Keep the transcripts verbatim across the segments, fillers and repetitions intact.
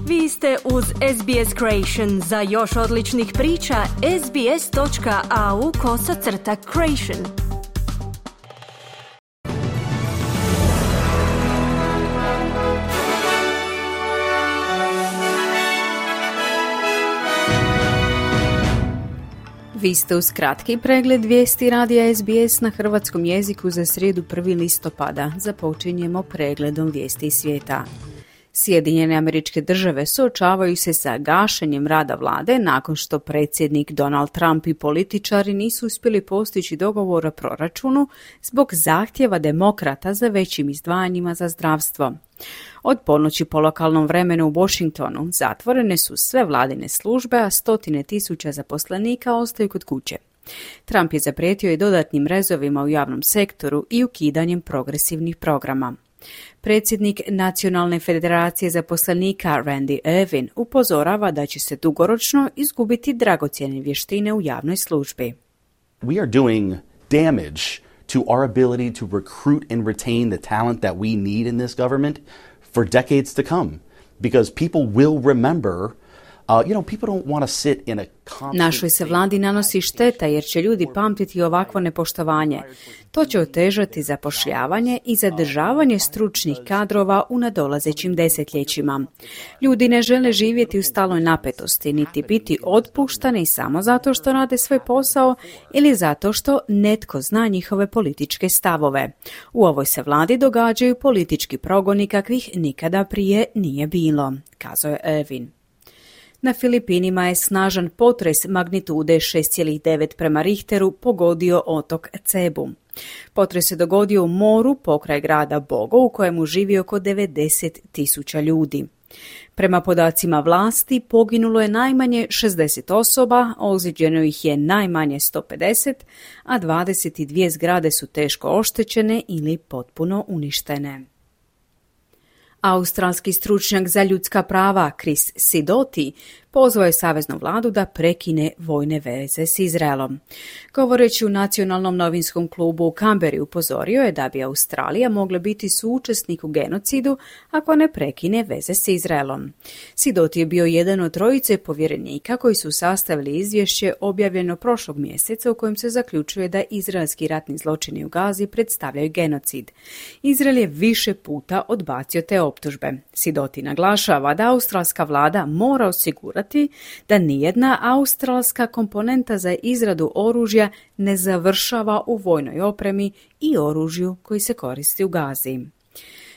Vi ste uz S B S Creation. Za još odličnih priča, sbs.au kosacrta creation. Vi ste uz kratki pregled vijesti radija S B S na hrvatskom jeziku za srijedu prvog listopada. Započinjemo pregledom vijesti svijeta. Sjedinjene Američke Države suočavaju se sa gašenjem rada vlade nakon što predsjednik Donald Trump i političari nisu uspjeli postići dogovor o proračunu zbog zahtjeva demokrata za većim izdvajanjima za zdravstvo. Od ponoći po lokalnom vremenu u Washingtonu zatvorene su sve vladine službe, a stotine tisuća zaposlenika ostaju kod kuće. Trump je zaprijetio i dodatnim rezovima u javnom sektoru i ukidanjem progresivnih programa. Predsjednik Nacionalne federacije zaposlenika Randy Irvin upozorava da će se dugoročno izgubiti dragocjene vještine u javnoj službi. We are doing damage to our ability to recruit and retain the talent that we need in this government for decades to come, because people will remember. Uh, you know, people don't want to sit in a constant... Našoj se vladi nanosi šteta jer će ljudi pamtiti ovakvo nepoštovanje. To će otežati zapošljavanje i zadržavanje stručnih kadrova u nadolazećim desetljećima. Ljudi ne žele živjeti u stalnoj napetosti, niti biti otpuštani samo zato što rade svoj posao ili zato što netko zna njihove političke stavove. U ovoj se vladi događaju politički progoni kakvih nikada prije nije bilo, kazao je Irvin. Na Filipinima je snažan potres magnitude šest zarez devet prema Richteru pogodio otok Cebu. Potres se dogodio u moru pokraj grada Bogo u kojemu živi oko devedeset tisuća ljudi. Prema podacima vlasti poginulo je najmanje šezdeset osoba, ozlijeđeno ih je najmanje sto pedeset, a dvadeset dvije zgrade su teško oštećene ili potpuno uništene. Australski stručnjak za ljudska prava Chris Sidoti pozvao je saveznu vladu da prekine vojne veze s Izraelom. Govoreći u nacionalnom novinskom klubu u Canberri upozorio je da bi Australija mogla biti suučesnik u genocidu ako ne prekine veze s Izraelom. Sidoti je bio jedan od trojice povjerenika koji su sastavili izvješće objavljeno prošlog mjeseca u kojem se zaključuje da izraelski ratni zločini u Gazi predstavljaju genocid. Izrael je više puta odbacio te optužbe. Sidoti naglašava da australska vlada mora osigurati da nijedna australska komponenta za izradu oružja ne završava u vojnoj opremi i oružju koji se koristi u Gazi.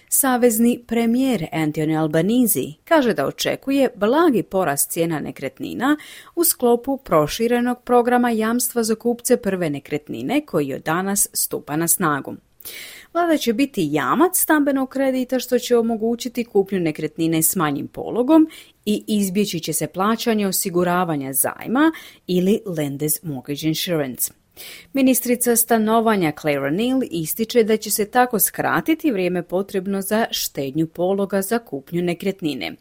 Savezni premijer Anthony Albanese kaže da očekuje blagi porast cijena nekretnina u sklopu proširenog programa jamstva za kupce prve nekretnine koji od danas stupa na snagu. Vlada će biti jamac stambenog kredita što će omogućiti kupnju nekretnine s manjim pologom i izbjeći će se plaćanje osiguravanja zajma ili Lenders Mortgage Insurance. Ministrica stanovanja Claire O'Neill ističe da će se tako skratiti vrijeme potrebno za štednju pologa za kupnju nekretnine.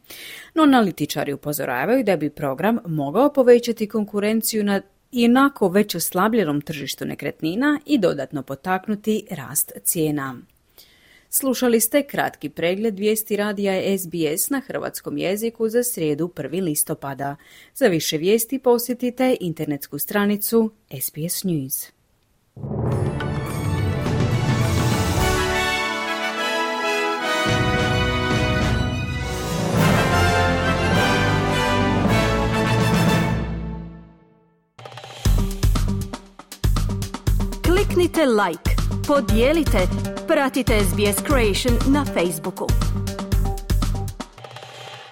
No analitičari upozoravaju da bi program mogao povećati konkurenciju na inako već oslabljenom tržištu nekretnina i dodatno potaknuti rast cijena. Slušali ste kratki pregled vijesti radija S B S na hrvatskom jeziku za srijedu prvog listopada. Za više vijesti posjetite internetsku stranicu S B S News. Kliknite like, podijelite, pratite S B S Creation na Facebooku.